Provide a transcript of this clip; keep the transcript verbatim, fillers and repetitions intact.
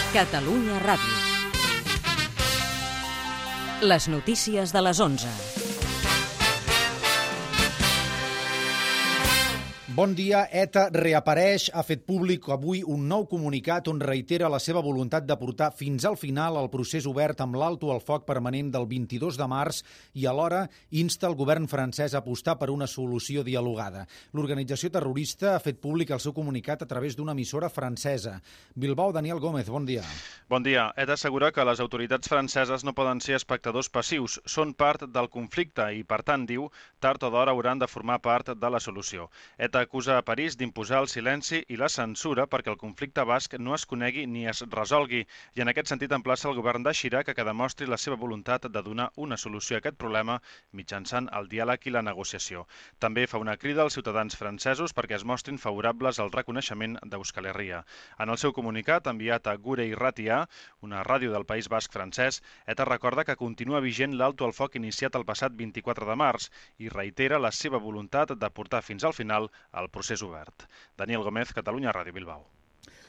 Catalunya Ràdio. Les notícies de les onze. Bon dia. ETA reapareix, ha fet públic avui un nou comunicat on reitera la seva voluntat de portar fins al final el procés obert amb l'alto al foc permanent del vint-i-dos de març i alhora insta el govern francès a apostar per una solució dialogada. L'organització terrorista ha fet públic el seu comunicat a través d'una emissora francesa. Bilbao, Daniel Gómez, bon dia. Bon dia. ETA assegura que les autoritats franceses no poden ser espectadors passius, són part del conflicte i, per tant, diu, tard o d'hora hauran de formar part de la solució. ETA acusa a París d'imposar el silenci i la censura perquè el conflicte basc no es conegui ni es resolgui i en aquest sentit emplaça el govern de Chirac que demostri la seva voluntat de donar una solució a aquest problema mitjançant el diàleg i la negociació. També fa una crida als ciutadans francesos perquè es mostrin favorables al reconeixement d'Euskal Herria. En el seu comunicat, enviat a Gure Irratia, una ràdio del País Basc francès, ETA recorda que continua vigent l'alto al foc iniciat el passat vint-i-quatre de març i reitera la seva voluntat de portar fins al final el procés obert. Daniel Gómez, Catalunya Ràdio, Bilbao.